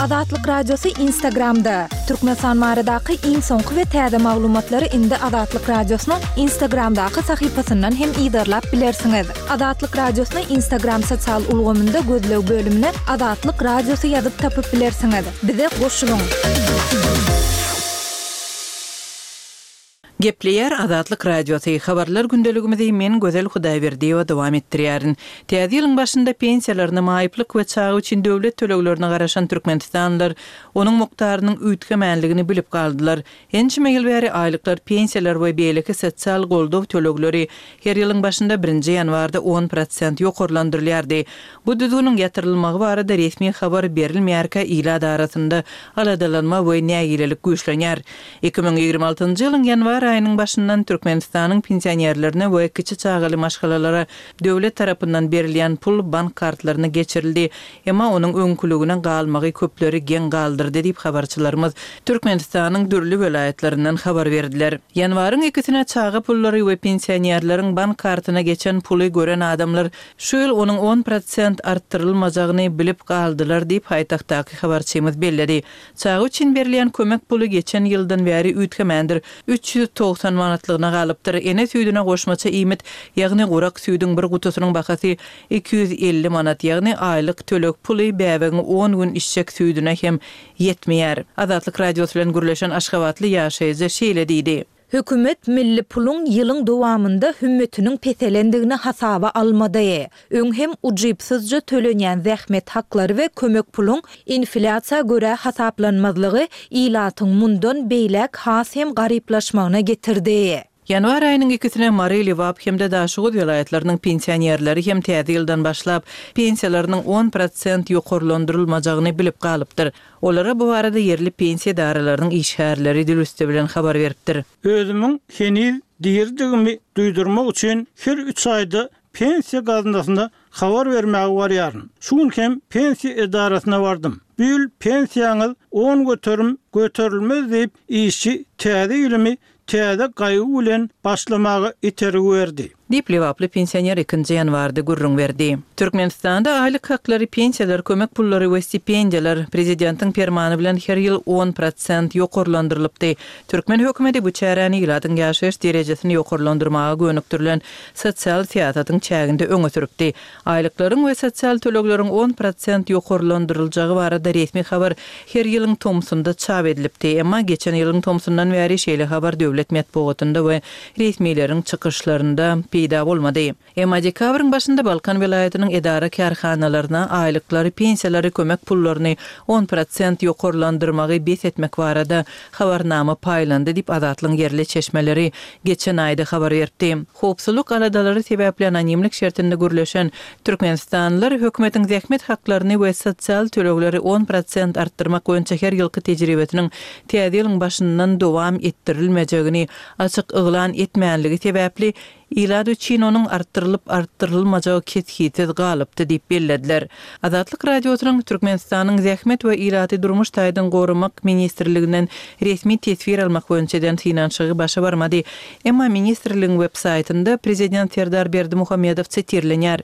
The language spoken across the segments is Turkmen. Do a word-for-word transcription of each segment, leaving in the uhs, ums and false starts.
Azatlyk Radiosy Instagramda! Türkmenistan baradaky iň soňky we täze maglumatlary indi Azatlyk Radiosynyň Instagramdaky sahypasyndan hem yzarlap bilersiňiz. Azatlyk Radiosyny Instagram sosial ulgamynda gözleg bölümine Azatlyk Radiosy ýazyp tapyp bilersiňiz. Bize goşulyň! Gepleýär Azatlyk Radiosy, Habarlar gündeligimizi men Gözel Hudaýberdiýewa dowam etdirýärin. Täze ýylyň başynda pensiýalaryna, maýyplyk we çaga üçin döwlet töleglerine garaşan türkmenistanlylar onuň mukdarynyň üýtgemänligini bilip galdylar. Ençeme ýyl bäri aýlyklar, pensiýalar we beýleki sosial goldaw tölegleri her ýylyň başynda birinji ýanwarda on prosent ýokarlandyrylýardy. Bu düzgüniň ýatyrylmagy barada resmi habar berilmeýärkä ilat arasynda aladalanma we nägilelik güýçlenýär. Iki müň ýigrimi altynjy ýylyň ýanwar aýynyň başyndan Türkmenistanyň pensionerlerine we kiçi çagaly maşgalalara döwlet tarapyndan berilýän pul bank kartlaryna geçirildi. Emma onuň öňküligine galmagy köpleri geň galdyrdy diýip habarçylarymyz Türkmenistanyň dürli welaýatlaryndan habar berdiler. Ýanwaryň ikisine çaga pullary we pensionerleriň bank kartyna geçen puly gören adamlar şu ýyl onuň on prosent artdyrylmajagyny bilip galdylar diýip paýtagtdaky habarçymyz belledi. Çaga üçin berilýän kömek puly geçen ýyldan bäri üýtgemändir, üç ýüz togsan manatlygyna galypdyr. Ene süýdüne goşmaça iýmit, ýagny gurak süýdüň bir gutusynyň bahasy iki ýüz elli manat, ýagny aýlyk töleg puly bäbegiň on gün içjek süýdüne hem ýetmeýär. Azatlyk Radiosy bilen gürleşen aşgabatly ýaşaýjy şeýle diýdi. Hökümet milli puluň ýylyň dowamynda hümmetiniň peselendigini hasaba almady. Öň hem ujypsyzja tölenýän zähmet haklary we kömek puluň inflýasiýa görä hasaplanmazlygy ilatyň mundan beýläk has hem garyplaşmagyna getirdi. Ýanwar aýynyň ikisine Mary, Lebap hem-de Daşoguz welaýatlarynyň pensionerleri hem täze ýyldan başlap pensiýalarynyň on prosent ýokarlandyrylmajagyny bilip galypdyr. Olara bu barada ýerli pensiýa edaralarynyň işgärleri dil üsti bilen habar beripdir. Özümiň heniz diridigimi duýdurmak üçin her üç aýda pensiýa gaznasyna habar bermäge barýaryn. Şu gün hem pensiýa edarasyna bardym. Bu ýyl pensiýaňyz on göterim göterilmez diýip, işçi täze ýylymy täze gaýgy bilen başlamaga itergi berdi. Diýip, lebaply pensioner ikinji ýanwarda gürrüň berdi. Türkmenistanda aýlyk haklary, pensiýalar, kömek pullary we stipendiýalar prezidentiň permany bilen her ýyl on prosent ýokarlandyrylypdy. Türkmen hökümeti bu çäräni ilatyň ýaşaýyş derejesini ýokarlandyrmaga gönükdirilen sosial syýasatyň çäginde öňe sürüpdi. Aýlyklaryň we sosial tölegleriň on prosent ýokarlandyryljagy barada resmi habar her ýylyň tomsunda çap edilipdi. Emma geçen ýylyň tomsundan bäri şeýle habar döwlet metbugatynda we resmileriň çykyşlarynda peýda bolmady. Emma dekabryň başynda Balkan welaýatynyň edara-kärhanalaryna aýlyklary, pensiýalary, kömek pullaryny on prosent ýokarlandyrmagy bes etmek barada habarnama paýlandy diýip, Azatlygyň ýerli çeşmeleri geçen aýda habar beripdi. Howpsuzlyk aladalary sebäpli anonimlik şertinde gürleşen türkmenistanlylar hökümetiň zähmet haklaryny we sosial tölegleri on prosent artdyrmak boýunça her ýylky tejribesiniň täze ýylyň başyndan dowam etdirilmejegini açyk yglan etmänligi sebäpli ilat üçin onuň artdyrylyp-artdyrylmajagy kesgitsiz galypdy diýip bellediler. Azatlyk Radiosynyň Türkmenistanyň Zähmet we ilaty durmuş taýdan goramak ministrliginden resmi teswir almak boýunça eden synanyşygy başa barmady. Emma ministrligiň web saýtynda prezident Serdar Berdimuhamedow sitirlenýär.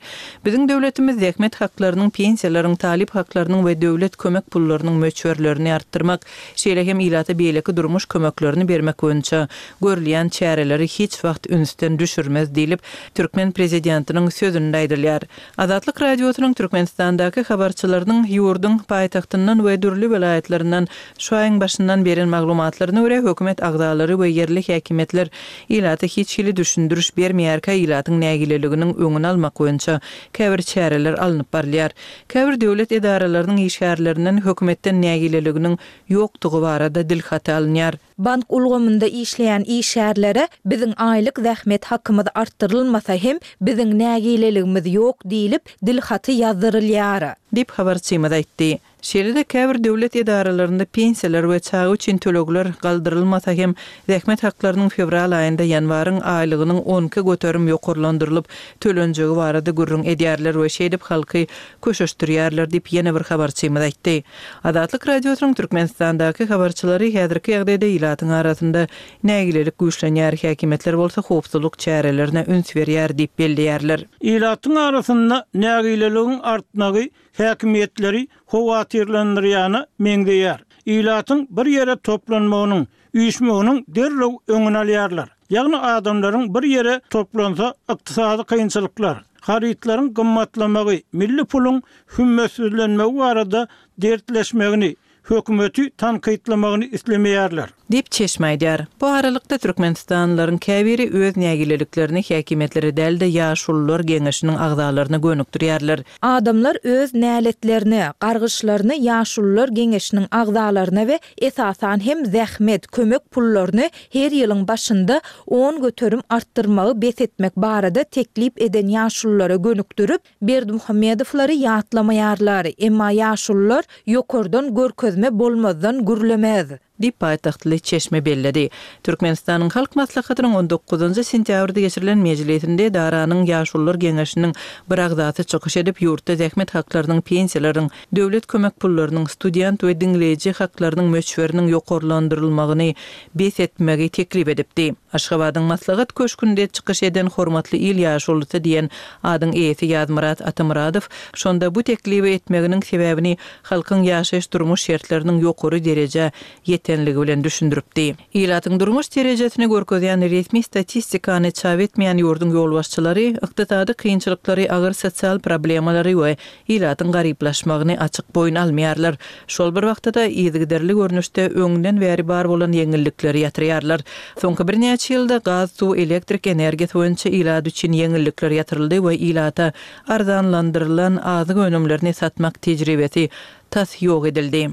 Biziň döwletimiz zähmet haklarynyň, pensiýalaryň, talyp haklarynyň we döwlet kömek pullarynyň möçberlerini artdyrmak, şeýle hem ilata beýleki durmuş kömeklerini bermek boýunça görülýän çäreleri hiç wagt ünsden düşürmez diýlip, türkmen prezidentiniň sözünde aýdylýar. Azatlyk Radiosynyň Türkmenistandaky habarçylarynyň ýurduň paýtagtyndan we dürli welaýatlaryndan şu aýyň başyndan beren maglumatlaryna görä, hökümet agzalary we ýerli häkimiýetler ilata hiç hili düşündiriş bermeýärkä ilatyň nägileliginiň öňüni almak boýunça käbir çäreler alnyp barylýar. Käbir döwlet edaralarynyň işgärlerinden hökümetden nägileliginiň ýokdugy barada dilhaty alynýar. Bank ulgamynda işleýän işgärlere biziň aýlyk zähmet hakymyz artdyrylmasa hem biziň nägileligimiz ýok diýlip dilhaty ýazdyrylýar. Diýip habarçymyz aýtdy. Şeýle-de käbir döwlet edaralarynda pensiýalar we çaga üçin tölegler galdyrylmasa hem zähmet haklarynyň fewral aýynda ýanwaryň aýlygynyň on iki göterim ýokarlandyrylyp tölenjegi barada gürrüň edýärler we şeýdip halky köşeşdirýärler diýip ýene bir habarçymyz aýtdy. Azatlyk Radiosynyň Türkmenistandaky habarçylary häzirki ýagdaýda ilatyň arasynda nägilelik güýçlenýär, häkimiýetler bolsa howpsuzlyk çärelerine üns berýär diýip belleýärler. Ilatyň arasynda nägileligiň artmagy häkimiýetleri howatyrlandyrýana meňzeýär. Ilatyň bir ýere toplanmagynyň, üýşmeginiň derrew öňüni alýarlar. Ýagny adamlaryň bir ýere toplansa ykdysady kynçylyklar, harytlaryň gymmatlamagy, milli puluň hümmetsizlenmegi barada dertleşmegini, hökümeti tankytlamagyny islemeýärler. Diýip çeşme aýdýar. Bu aralykda türkmenistanlylaryň käbiri öz nägileliklerini häkimiýetlere däl-de ýaşulular geňeşiniň agzalaryna gönükdirýärler. Adamlar öz näletlerini, gargyşlaryny ýaşulular geňeşiniň agzalaryna we esasan hem zähmet, kömek pullaryny her ýylyň başynda on göterim artdyrmagy bes etmek barada teklip eden ýaşululara gönükdirip, Berdimuhamedowlary ýatlamaýarlar. Emma ýaşulular ýokardan görkezme bolmazdan gürlemez. Diýip paýtagtly çeşme belledi. Türkmenistanyň Halk Maslahatynyň on dokuzynjy sentýabrda geçirilen mejlisinde Daranyň ýaşulular geňeşiniň bir agzasy çykyş edip, ýurtda zähmet haklarynyň, pensiýalaryň, döwlet kömek pullarynyň, student we diňleýji haklarynyň möçberiniň ýokarlandyrylmagyny bes etmegi teklip edipdi. Aşgabadyň maslahat köşgünde çykyş eden hormatly il ýaşulusy diýen adyň eýesi Ýazmyrat Atamyradow şonda bu teklibi etmeginiň sebäbini halkyň ýaşaýyş durmuş şertleriniň ýokary derejä ýetenligi bilen düşündiripdi. Ilatyň durmuş derejesini görkezýän resmi statistikany çap etmeýän ýurduň ýolbaşçylary ykdysady kynçylyklary, agyr sosial problemalary we ilatyň garyplaşmagyny açyk boýun almaýarlar. Şol bir wagtda-da yzygiderli görnüşde öňden bäri bar bolan ýeňillikleri ýatyrýarlar. Soňky birnäçe ýylda gaz, suw, elektrik energiýasy boýunça ilat üçin ýeňillikler ýatyryldy we ilata arzanlandyrylan azyk önümlerini satmak tejribesi tas ýok edildi.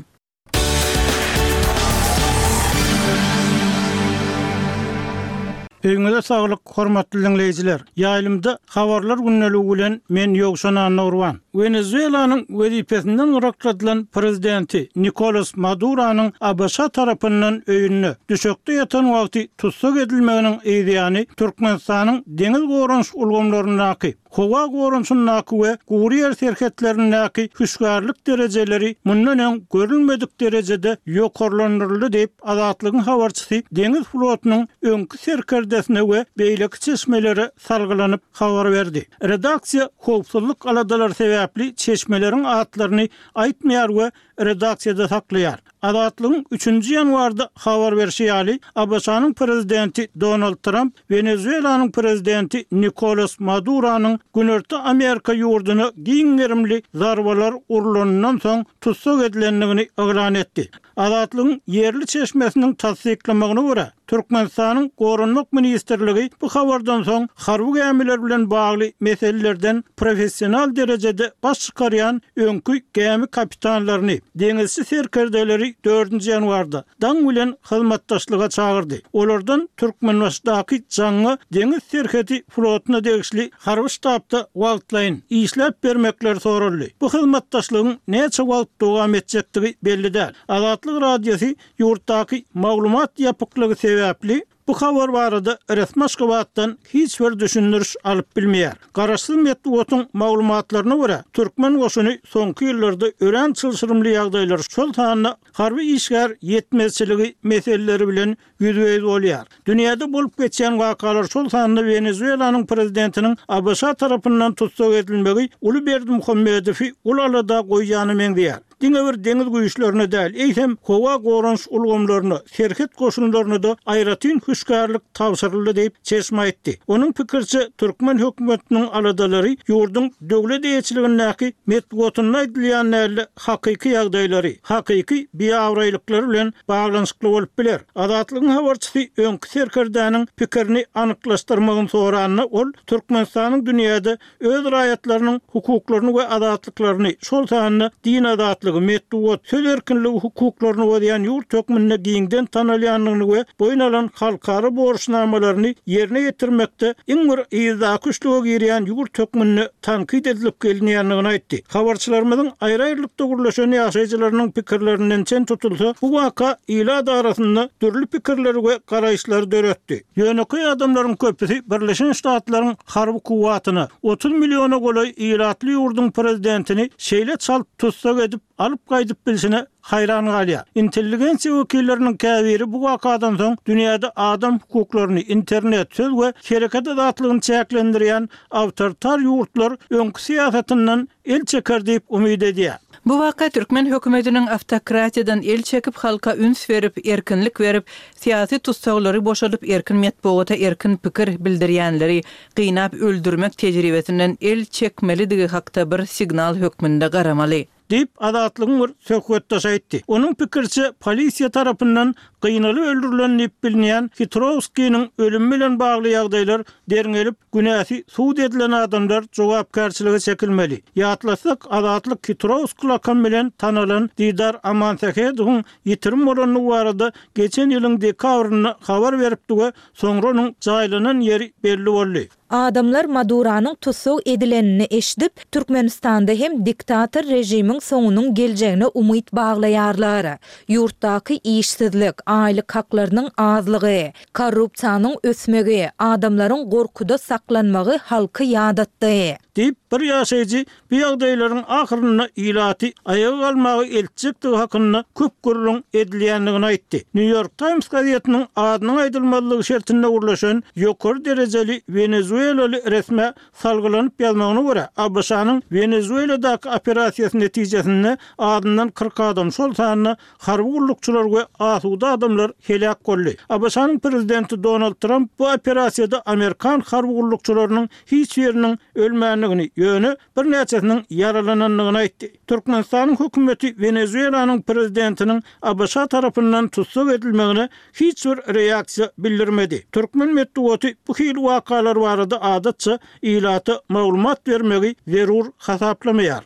Öýüňize saglyk, hormatly dinleýjiler. Ýaýlymda habarlar gündeligi bilen men Ýowşan Annurwan. Wenezuelanyň wezipesinden gyrakladylan prezidenti Nikolas Maduronyň A B Ş tarapyndan öýünde düşekde ýatan wagty tussag edilmeginiň yzýany Türkmenistanyň deňiz goranyş ulgamlaryndaky, howa goranyşyndaky we gury ýer serhetlerindäki hüşgärlik derejeleri mundan öň görülmedik derejede ýokarlandyryldy diýip Azatlygyň habarçysy deňiz flotunyň öňki serkerdesine we beýleki çeşmelere salgylanyp habar berdi. Redaksiýa howpsuzlyk aladalary sebäpli çeşmeleriň atlaryny aýtmaýar we redaksiýada saklaýar. Azatlygyň üçünji ýanwarda habar berşi ýaly, A B Ş-nyň prezidenti Donald Trump Wenezuelanyň prezidenti Nikolas Maduronyň Günorta Amerika ýurduna giň gerimli zarbalar urulanyndan soň tussag edilendigini yglan etdi. Azatlygyň ýerli çeşmesiniň tassyklamagyna görä, Türkmenistanyň Goranmak ministrligi bu habardan soň harby gämiler bilen bagly meselelerden professional derejede baş çykarýan öňki gämi kapitanlaryny, deňizçi serkerdeleri dördünji ýanwarda daň bilen hyzmatdaşlyga çagyrdy. Olardan Türkmenbaşydaky Jaňňa deňiz serhedi flotuna degişli harby ştabda wagtlaýyn işläp bermekleri soraldy. Bu hyzmatdaşlygyň näçe wagt dowam etjekdigi belli däl. Azatlyk Radiosy ýurtdaky maglumat ýapyklygy sebäpli bu habar barada resmi Aşgabatdan hiç bir düşündiriş alyp bilmeýär. Garaşsyz metbugatyň maglumatlaryna görä, türkmen goşuny soňky ýyllarda örän çylşyrymly ýagdaýlar, şol sanda harby işgär ýetmezçiligi meseleleri bilen ýüzbe-ýüz bolýar. Dünýäde bolup geçýän wakalar, şol sanda Wenezuelanyň prezidentiniň A B Ş tarapyndan tussag edilmegi uly Berdimuhamedowy uly alada goýýany meňzeýär. Diňe bir deňiz güýçlerine däl, eýsem howa goranyş ulgamlaryna, serhet goşunlaryna da aýratyn hüşgärlik tabşyryldy diýip çeşme aýtdy. Onuň pikiriçe, türkmen hökümetiniň aladalary ýurduň döwlet eýeçiligindäki metbugatynda aýdylýan däl hakyky ýagdaýlary, hakyky biabraýlyklary bilen baglanyşykly bolup biler. Azatlygyň habarçysy öňki serkerdäniň pikirini anyklaşdyrmagyny soranda, ol Türkmenistanyň dünýäde öz raýatlarynyň hukuklaryny we azatlyklaryny, şol sanda din azatlygy, metbugat, söz erkinligi hukuklaryny bozýan ýurt hökmünde giňden tanalýandygyny we boýun alan halkara borçnamalaryny ýerine ýetirmekde iň bir yzdaky üçlüge girýän ýurt hökmünde tankyt edilip gelinýändigini aýtdy. Habarçylarymyzyň aýry-aýrylykda gürleşen ýaşaýjylarynyň pikirlerinden çen tutulsa, bu waka ilat arasynda dürli pikirleri we garaýyşlary döretdi. Ýönekeý adamlaryň köpüsi Birleşen Ştatlaryň harby kuwwatyna otuz milliona golaý ilatly ýurduň prezidentini şeýle çalt tussag edip alyp gaýdyp bilşine haýran galýar. Intelligensiýa wekilleriniň käbiri bu wakadan soň dünýäde adam hukuklaryny, internet, söz we hereket azatlygyny çäklendirýän awtoritar ýurtlar öňki syýasatyndan el çeker diýip umyt edýär. Bu waka türkmen hökümetiniň awtokratiýadan el çekip, halka üns berip, erkinlik berip, syýasy tussaglary boşadyp, erkin metbugata erkin pikir bildirýänleri gynap öldürmek tejribesinden el çekmelidigi hakda bir signal hökmünde garamaly. Diýip, Azatlygyň bir söhbetdeşi aýtdy. Onuň pikiriçe, polisiýa tarapyndan gynalyp öldürilen diýip bilinýän Hitrowskiniň ölümi bilen bagly ýagdaýlar derňelip, günäsi subut edilen adamlar jogapkärçilige çekilmeli. Ýatlasak, Azatlyk Hitrowski lakamy bilen tanalan Didar Amansähedowyň ýitirim bolandygy barada geçen ýylyň dekabrynda habar beripdi we soňra onuň jaýlanan ýeri belli boldy. Adamlar Maduranyň tussag edilenini eşidip, Türkmenistanda hem diktator režimiň soňunyň geljegine umyt baglaýarlar. Ýurtdaky işsizlik, aýlyk haklarynyň azlygy, korrupsiýanyň ösmegi, adamlaryň gorkuda saklanmagy halky ýadatdy. Diýip, bir ýaşaýjy bu ýagdaýlaryň ahyrynda ilaty aýaga galmaga eltjekdigi hakynda köp gürrüň edilýändigini aýtdy. New York Times gazetiniň adynyň aýdylmazlygy şertinde gürleşen ýokary derejeli wenezuelaly resmä salgylanyp ýazmagyna görä, ABŞ-nyň Wenezueladaky operasiýasy netijesinde azyndan kyrk adam, şol sanda harby gullukçylar we asuda adamlar heläk boldy. ABŞ-nyň prezidenti Donald Tramp bu operasiýada amerikan harby gullukçylarynyň hiç biriniň ölmändigini, ýöne birnäçesiniň ýaralanandygyny aýtdy. Türkmenistanyň hökümeti Wenezuelanyň prezidentiniň ABŞ tarapyndan tussag edilmegine hiç bir reaksiýa bildirmedi. Türkmen metbugaty bu hili wakalar barada adatça ilata maglumat bermegi zerur hasaplamaýar.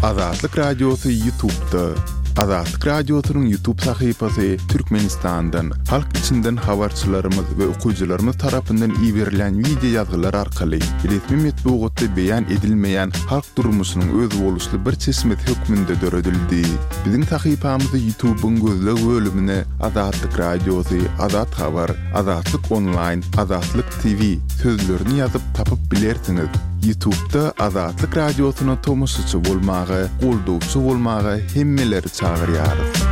Azatlyk Radiosy YouTube'da. Azatlyk Radiosynyň YouTube sahypasy Türkmenistandan, halk içinden habarçylarymyz we okyjylarymyz tarapyndan iberilen wideo ýazgylar arkaly resmi metbugatda beýan edilmeýän halk durmuşynyň özboluşly bir çeşmesi hökmünde döredildi. Biziň sahypamyzy YouTube'yň gözleg bölümine Azatlyk Radiosy, Azat Habar, Azatlyk Online, Azatlyk T V sözlerini ýazyp tapyp bilersiňiz. YouTube'da Azatlyk Radiosyna tomaşaçy bolmaga, goldawçy bolmaga hemmeleri çagyrýarys.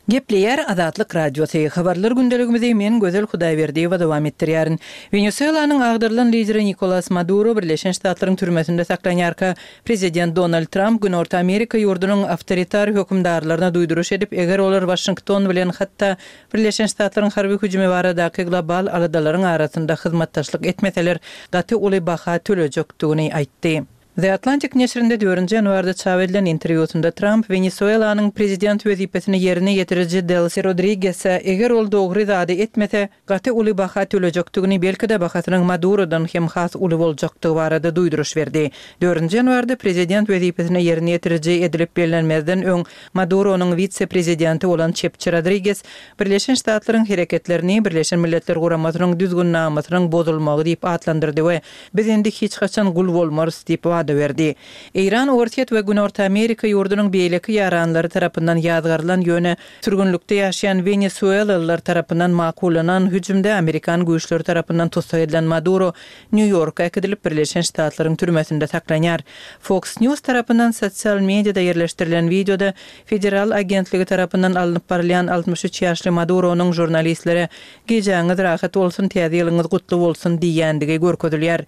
Gepleýär Azatlyk Radiosy. Habarlar gündeligimizi men Gözel Hudaýberdiýewa dowam etdirýärin. Wenesuelanyň agdarylan lideri Nikolas Maduro Birleşen Ştatlaryň türmesinde saklanýarka, prezident Donald Tramp Günorta Amerika ýurdunyň awtoritar hökümdarlaryna duýduryş edip, eger olar Waşington bilen hatda Birleşen Ştatlaryň harby hüjümi baradaky global aladalaryň arasynda hyzmatdaşlyk etmeseler, gaty uly baha tölejekdigini aýtdy. The Atlantic neşirinde dördünji ýanwarda çap edilen interwýusynda Tramp Wenesuelanyň prezident wezipesini ýerine ýetiriji Delsi Rodrigese eger ol dogry zady etmese, gaty uly baha tölejekdigini, belki-de bahasynyň Madurodan hem has uly boljakdygy barada duýduryş berdi. Dördünji ýanwarda prezident wezipesini ýerine ýetiriji edilip bellenmezden öň Maduronyň wise-prezidenti bolan Çepçi Rodriguez Birleşen Ştatlaryň hereketlerini Birleşen Milletler Guramasynyň düzgünnamasynyň bozulmagy diýip atlandyrdy we biz indi hiç haçan gul bolmarys diýip wada berdi. Eýran, Orsýet we Günorta Amerika ýurdunyň beýleki ýaranlary tarapyndan ýazgarylan ýöne sürgünlikde ýaşaýan Wenesuelalylar tarapyndan makullanan hüjümde Amerikan güýçleri tarapyndan tussag edilen Maduro Nýu-Ýorka äkidilip Birleşen Ştatlaryň türmesinde saklanýar. Fox News tarapyndan sosial mediada ýerleşdirilen wideoda federal agentligi tarapyndan alnyp barylýan altmyş üç ýaşly Maduronyň žurnalistlere "Gijäňiz rahat bolsun, täze ýylyňyz gutly bolsun" diýýändigi görkezilýär.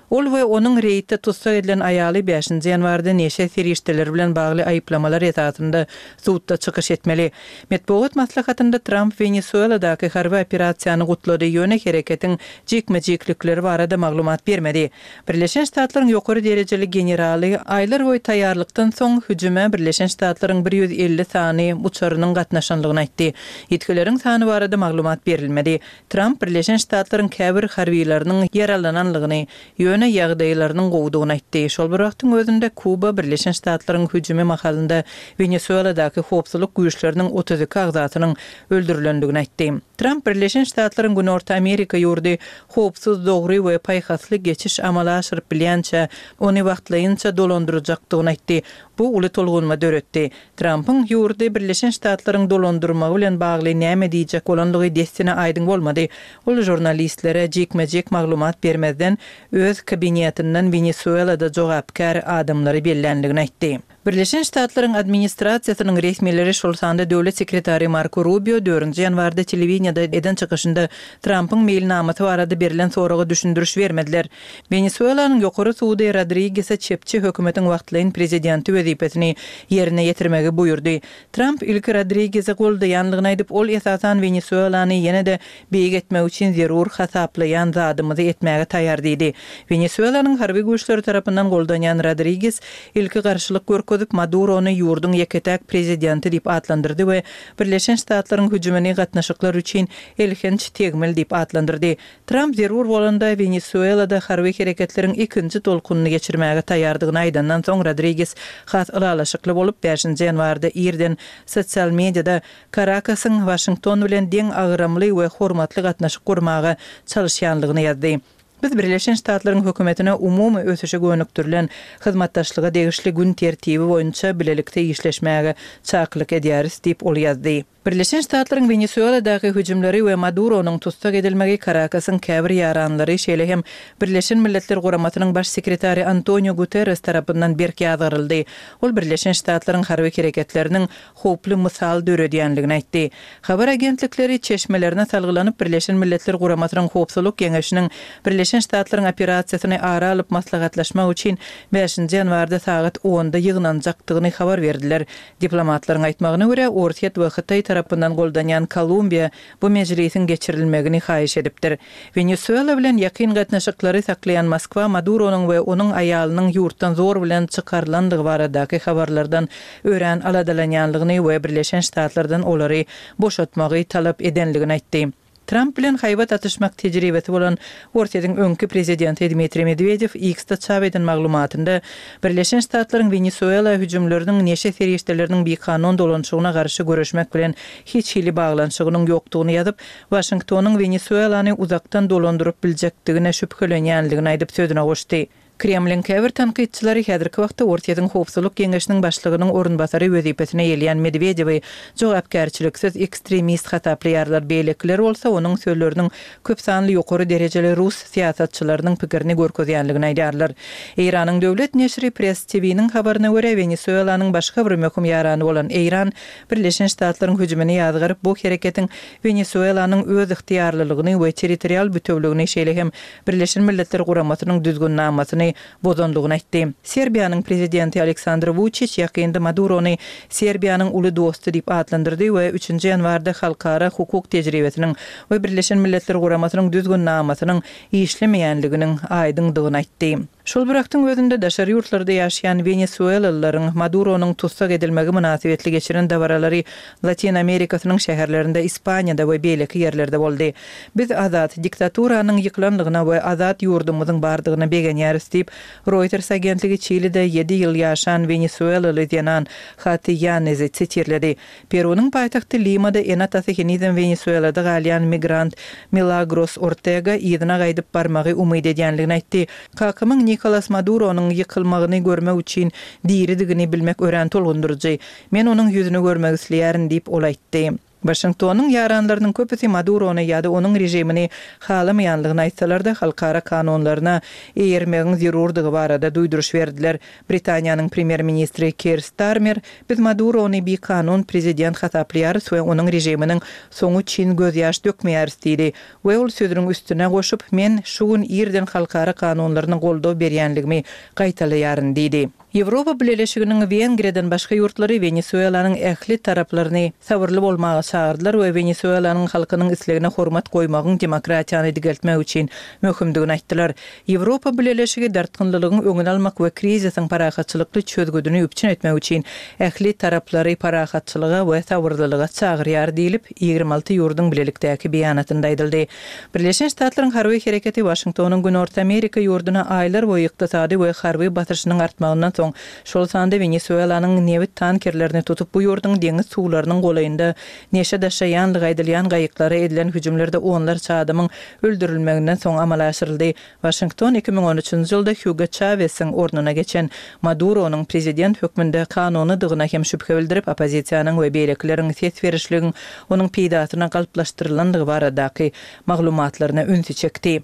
Ol we onuň reýtde tussag edilen aýaly bäşinji ýanwarda neşe serişdeleri bilen bagly aýyplamalar esasynda sudda çykyş etmeli. Metbugat maslahatynda Tramp Wenesueladaky harby operasiýany gutlady, ýöne hereketiň jikme-jiklikleri barada maglumat bermedi. Birleşen Ştatlaryň ýokary derejeli generaly aýlar boýy taýýarlykdan soň hüjüme Birleşen Ştatlaryň bir ýüz elli sany uçarynyň gatnaşanlygyny aýtdy. Ýitgileriň sany barada maglumat berilmedi. Tramp Birleşen Ştatlaryň käbir harbylarynyň ýaralananlygyny, ýöne ýagdaýlarynyň gowudygyny aýtdy. Şol Şol bir wagtyň özünde Kuba Birleşen Ştatlaryň hüjümi mahalynda Wenesueladaky howpsuzlyk güýçleriniň otuz iki agzasynyň öldürilendigini aýtdy. Tramp Birleşen Ştatlaryň Günorta Amerika ýurdy howpsuz, dogry we paýhasly geçiş amala aşyryp bilýänçä, ony wagtlaýynça dolandyrjakdygyny aýtdy. Bu uly tolgunma döretdi. Trampyň ýurdy Birleşen Ştatlaryň dolandyrmagy bilen bagly näme diýjek bolandygy dessine aýdyň bolmady. Ol žurnalistlere jikme-jik maglumat bermezden, öz kabinetinden Wenesuelada jogapkär adamlary belländigini aýtdy. Birleşen Ştatlaryň administrasiýasynyň resmileri, şol sanda döwlet sekretary Marko Rubio dördünji ýanwarda telewideniýede eden çykyşynda Trampyň meýilnamasy barada berlen soraga düşündiriş bermediler. Wenesuelanyň ýokary sudy Rodrigese çepçi hökümetiň wagtlaýyn prezidenti wezipesini ýerine ýetirmegi buýurdy. Tramp ilki Rodrigesi goldaýanlygyny aýdyp, ol esasan Wenesuelany ýene-de beýik etmek üçin zerur hasaplaýan zadymyzy etmäge taýýar diýdi. Wenesuelanyň harby güýçleri tarapyndan goldanýan Rodriges ilki garşylyk görkezip, Madurony ýurduň ýeke-täk prezidenti diýip atlandyrdy we Birleşen Ştatlaryň hüjümini gatnaşyklar üçin elhenç tegmil diýip atlandyrdy. Tramp zerur bolanda Wenesuelada harby hereketleriň ikinji tolkunyny geçirmäge taýýardygyny aýdandan soň Rodriges has ylalaşykly bolup, bäşinji ýanwarda irden sosial mediada Karakasyň Waşington bilen deň agramly we hormatly gatnaşyk gurmaga çalyşýanlygyny ýazdy. Biz Birleşen Ştatlaryň hökümetine umumy ösüşe gönükdirilen hyzmatdaşlyga degişli gün tertibi boýunça bilelikde işleşmäge çakylyk edýäris diýip ol ýazdy. Birleşen Ştatlaryň Wenesueladaky hüjümleri we Maduronyň tussag edilmegi Karakasyň käbir ýaranlary, şeýle hem Birleşen Milletler Guramasynyň Baş sekretary Antonio Guterres tarapyndan berk ýazgaryldy. Ol Birleşen Ştatlaryň harby hereketleriniň howply mysal döredýänligini aýtdy. Habar agentlikleri çeşmelerine salgylanyp, Birleşen Milletler Guramasynyň Howpsuzlyk Geňeşiniň Birleşen Ştatlaryň operasiýasyny ara alyp maslahatlaşmak üçin bäşinji ýanwarda sagat onda ýygnanjakdygyny habar berdiler. Diplomatlaryň aýtmagyna görä, Orsýet we Hytaý tarapyndan goldanýan Kolumbiýa bu mejlisiň geçirilmegini haýyş edipdir. Wenesuela bilen ýakyn gatnaşyklary saklaýan Moskwa Maduronyň we onuň aýalynyň ýurtdan zor bilen çykarylandygy baradaky habarlardan örän aladalanýanlygyny we Birleşen Ştatlardan olary boşatmagy talap edenligini aýtdy. Tramp bilen haýbat atyşmak tejribesi bolan Orsýetiň öňki prezidenti Dmitriý Medwedew X-de çap eden maglumatynda Birleşen Ştatlaryň Wenesuela hüjümleriniň neşe serişdeleriniň bikanun dolanyşygyna garşy göreşmek bilen hiç hili baglanyşygynyň ýokdugyny ýazyp, Waşingtonyň Wenesuelany uzakdan dolandyryp biljekdigine şübhelenýänligini aýdyp sözüne goşdy. Kremliň käbir tankytçylary häzirki wagtda Orsýetiň Howpsuzlyk Geňeşiniň başlygynyň orunbasary wezipesine eýeleýän Medwedewi jogapkärçiliksiz ekstremist hasaplaýarlar, beýlekiler bolsa onuň sözleriniň köp sanly ýokary derejeli rus syýasatçylarynyň pikirini görkezýänligini aýdýarlar. Eýranyň döwlet neşiri Press T V-niň habaryna görä, Wenesuelanyň başga bir möhüm ýarany bolan Eýran Birleşen Ştatlaryň hüjümini ýazgaryp, bu hereketiň Wenesuelanyň öz ygtyýarlylygyny we territorial bütewligini, şeýle hem Birleşen Milletler Guramasynyň düzgünnamasyny bozandygyny aýtdy. Serbiýanyň prezidenti Aleksandr Wuçiç ýakynda Madurony Serbiýanyň uly dosty diýip atlandyrdy we üçünji ýanwarda halkara hukuk tejribesiniň we Birleşen Milletler Guramasynyň düzgünnamasynyň işlemeýänliginiň aýdyňdygyny aýtdy. Şol bir wagtyň özünde daşary ýurtlarda ýaşaýan wenesuelalylaryň Maduronyň tussag edilmegi mynasybetli geçiren dabaralary Latin Amerikasynyň şäherlerinde, Ispaniýada we beýleki ýerlerde boldy. Biz azat, diktaturanyň ýykylanlygyna we azat ýurdumyzyň bardygyna begenýäris diýip, Reuters agentligi Çilide ýedi ýyl ýaşan wenesuelaly zenan Hati Ýanezi sitirledi. Perunyň paýtagty Limada ene-atasy henizem Wenesuelada galýan migrant Milagros Ortega yzyna gaýdyp barmagy umyt edýänligini aýtdy. Kakamyň Nikolas Maduronyň ýykylmagyny görmek üçin diridigini bilmek örän tolgundyryjy. Men onuň ýüzüni görmek isleýärin diýip, ol aýtdy. Waşingtonyň ýaranlarynyň köpüsi Madurony ýa-da onuň režimini halamaýanlygyny aýtsalar-da, halkara kanunlaryna eýermegiň zerurdygy barada duýduryş berdiler. Britaniýanyň premýer-ministri Keir Starmer, Biz Madurony bikanun prezident hasaplaýarys we onuň režiminiň soňy üçin gözýaş dökmeýäris diýdi we ol sözüniň üstüne goşup, Men şu gün irden halkara kanunlaryna goldaw berýänligimi gaýtalaýaryn diýdi. Ýewropa Bileleşiginiň Wengriýadan başga ýurtlary Wenesuelanyň ähli taraplaryny sabyrly bolmaga çagyrdylar we Wenesuelanyň halkynyň islegine hormat goýmagyň demokratiýany dikeltmek üçin möhümdigini aýtdylar. Ýewropa Bileleşigi dartgynlylygyň öňüni almak we krizisiň parahatçylykly çözgüdini üpjün etmek üçin ähli taraplary parahatçylyga we sabyrlylyga çagyrýar diýlip, ýigrimi alty ýurduň bilelikdäki beýanatynda aýdyldy. Birleşen Ştatlaryň harby hereketi Waşingtonyň Günorta Amerika ýurduna aýlar boýy ykdysady we harby basyşynyň artmagyndan soň, şol sanda Wenesuelanyň nebit tankerlerini tutup, bu ýurduň deňiz suwlarynyň golaýynda neşe daşaýanlygy aýdylýan gaýyklara edilen hüjümlerde onlarça adamyň öldürilmeginden soň amala aşyryldy. Waşington iki müň on üçünji ýylda Hugo Çawesiň ornuna geçen Maduronyň prezident hökmünde kanunydygyna hem şübhe bildirip, oppozisiýanyň we beýlekileriň ses berişligiň onuň peýdasyna galplaşdyrylandygy baradaky maglumatlaryna ünsi çekdi.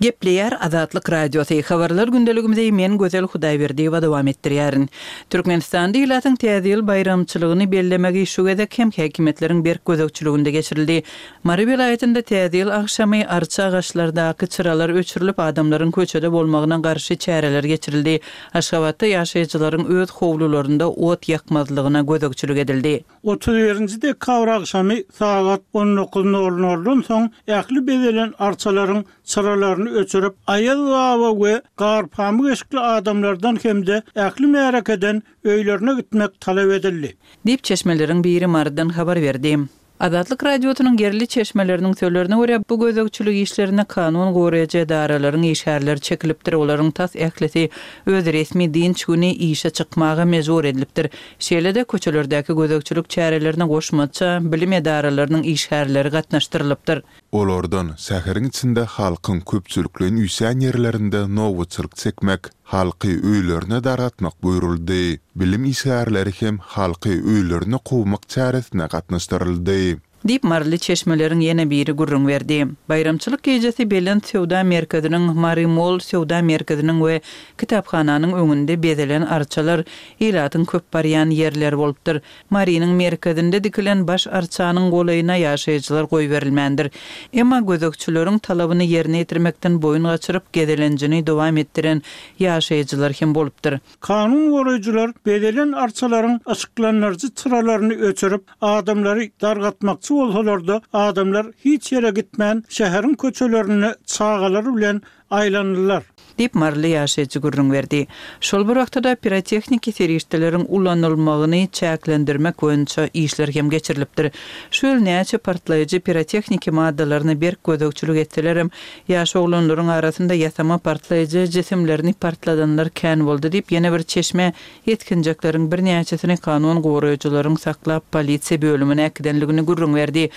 Gepleýär Azatlyk Radiosy. Habarlar gündeligimizi men Gözel Hudaýberdiýewa dowam etdirýärin. Türkmenistanda ilatyň Täze ýyl baýramçylygyny bellemegi şu gezek hem häkimiýetleriň berk gözegçiliginde geçirildi. Mary welaýatynda Täze ýyl agşamy arça agaçlardaky çyralar öçürilip, adamlaryň köçede bolmagyna garşy çäreler geçirildi. Aşgabatda ýaşaýjylaryň öz howlularynda ot ýakmazlygyna gözegçilik edildi. Otuz birinji dekabr agşamy sagat on dokuz nol noldan soň ähli bezelen arçalaryň çyralaryny öçürip, Aýaz baba we garpamyk eşikli adamlardan hem-de ähli märekeden öýlerine gitmek talap edildi. Diýip çeşmeleriň biri Marydan habar berdi. Azatlyk Radiosynyň ýerli çeşmeleriniň sözlerine görä, bu gözegçilik işlerine kanun goraýjy edaralaryň işgärleri çekilipdir. Olaryň tas ählisi öz resmi dynç güni işe çykmaga mejbur edilipdir. Şeýle-de köçelerdäki gözegçilik çärelerine goşmaça bilim edaralarynyň işgärleri gatnaşdyrylypdyr. Olardan şäheriň içinde halkyň köpçülikleýin üýşýän ýerlerinde nobatçylyk çekmek, halky öýlerine dargatmak buýruldy. Bilim işgärleri hem halky öýlerine kowmak çäresine gatnaşdyryldy. Diýip Maryly çeşmeleriň ýene biri gürrüň berdi. Baýramçylyk gecesi Belent söwda merkeziniň, Mary Mall söwda merkeziniň we kitaphananyň öňünde bezelen arçalar ilatyň köp barýan ýerleri bolupdyr. Marynyň merkezinde dikilen baş arçanyň golaýyna ýaşaýjylar goýberilmändir. Emma gözegçileriň talabyny ýerine ýetirmekden boýun gaçyryp gezelenjini dowam etdiren ýaşaýjylar hem bolupdyr. Kanun goraýjylar bezelen arçalaryň yşyklandyryjy çyralaryny öçürip, adamlary dargatmakçy bolsalar-da, adamlar hiç ýere gitmän şäheriň köçelerinde çagalary bilen aýlandylar. Diýip Maryly ýaşaýjy gürrüň berdi. Şol bir wagtda pirotehniki serişdeleriň ulanylmagyny çäklendirmek boýunça işler hem geçirilipdir. Şu ýyl näçe partlaýjy pirotehniki maddalaryny berk gözegçilik etselerem, ýaş oglanlaryň arasynda ýasama partlaýjy jisimlerini partladanlar kän boldy diýip ýene bir çeşme ýetginjekleriň birnäçesini kanun goraýjylaryň saklap polisiýa bölümine äkidenligini gürrüň berdi.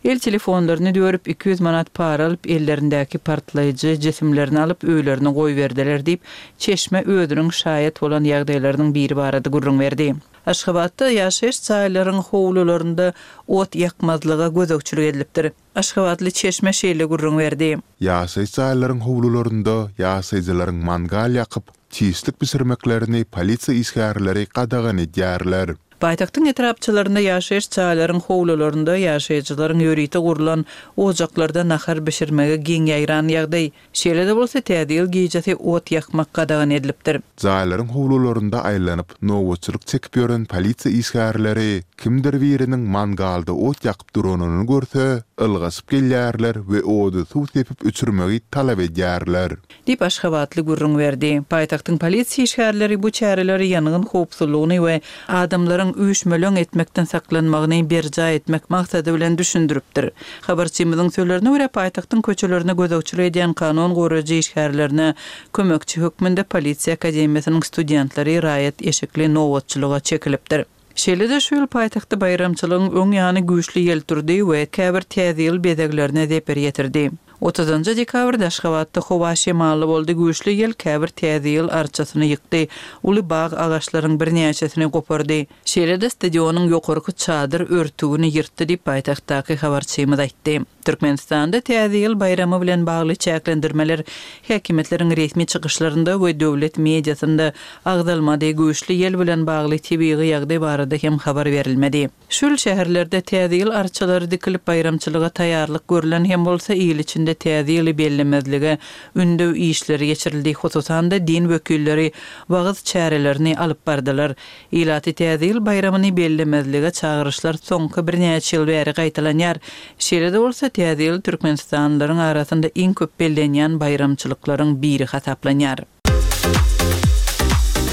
El telefonlaryny dörüp iki ýüz manat para alyp ellerindäki partlaýjy jisimlerini alyp öýlerine goýberdiler diýip çeşme özüniň şaýat bolan ýagdaýlarynyň biri barada gürrüň berdi. Aşgabatda ýaşaýyş jaýlaryň howlularynda ot ýakmazlyga gözegçilik edilipdir. Aşgabatly çeşme şeýle gürrüň berdi. Ýaşaýyş jaýlaryň howlularynda ýaşaýjylaryň mangal ýakyp, çişlik bişirmeklerini polisiýa işgärleri gadagan edýärler. Paýtagtyň etrapçalarynda ýaşaýyş jaýlaryň howlularynda ýaşaýjylaryň ýörite gurlan ojaklarda nahar bişirmege giň ýaýran ýagdaý. Şeýle-de bolsa Täze ýyl gecesi ot ýakmak gadagan edilipdir. Jaýlaryň howlularynda aýlanyp, nobatçylyk çekip ýören polisiýa işgärleri kimdir biriniň mangalda ot ýakyp duranyny görse, ylgaşyp gelýärler we ody suw sepip öçürmegi talap edýärler. Diýip Aşgabatly gürrüň berdi. Paýtagtyň polisiýa işgärleri bu çäreleri ýangyn howpsuzlygyny we adamlaryň üýşmeleň etmekden saklanmagyny berjaý etmek maksady bilen düşündiripdir. Habarçymyzyň sözlerine görä paýtagtyň köçelerine gözegçilik edýän kanun goraýjy işgärlerine kömekçi hökmünde polisiýa akademiýasynyň studentleri raýat eşikli nobatçylyga çekilipdir. Şeýle-de şu ýyl paýtagtda baýramçylygyň öň ýany güýçli ýel turdy we käbir Täze ýyl bezeglerine zeper ýetirdi. Otuzynjy dekabrda Aşgabatda howa şemally boldy, güýçli ýel käbir Täze ýyl arçasyny ýykdy, uly bag agaçlaryň birnäçesini gopardy. Şeýle-de stadionyň ýokarky çadyr örtügini ýyrtdy diýip paýtagtdaky habarçymyz aýtdy. Türkmenistanda Täze ýyl baýramy bilen bagly çäklendirmeler häkimiýetleriň resmi çykyşlarynda we döwlet mediasynda agzalmady, güýçli ýel bilen bagly tebigy ýagdaý barada hem habar berilmedi. Şu ýyl şäherlerde Täze ýyl arçalary dikilip, baýramçylyga taýýarlyk görlen hem bolsa, il içinde Täze ýyly bellemezlige ündew işleri geçirildi, hususan-da, din wekilleri wagyz çärelerini alyp bardylar. Ilaty Täze ýyl baýramyny bellemezlige çagyryşlar soňky birnäçe ýyl bäri gaýtalanýar. Şeýle-de bolsa, Täze ýyl türkmenistanlylaryň arasynda iň köp bellenýän baýramçylyklaryň biri hasaplanýar.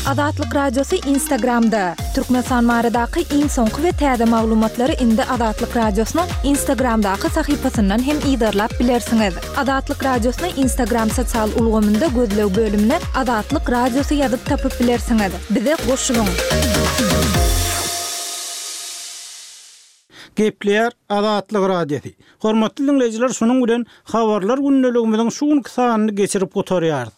Azatlyk Radiosy Instagramda, Türkmenistan baradaky iň soňky we täze maglumatlary indi Azatlyk Radiosynyň Instagramdaky sahypasyndan hem yzarlap bilersiňiz. Azatlyk Radiosyny Instagram sosial ulgamynda gözleg bölümine Azatlyk Radiosy ýazyp tapyp bilersiňiz. Bize goşulyň! Gepleýär Azatlyk Radiosy. Hormatly diňleýjiler, şunuň bilen Habarlar gündeligimiziň şu günki sanyny geçirip gutarýarys.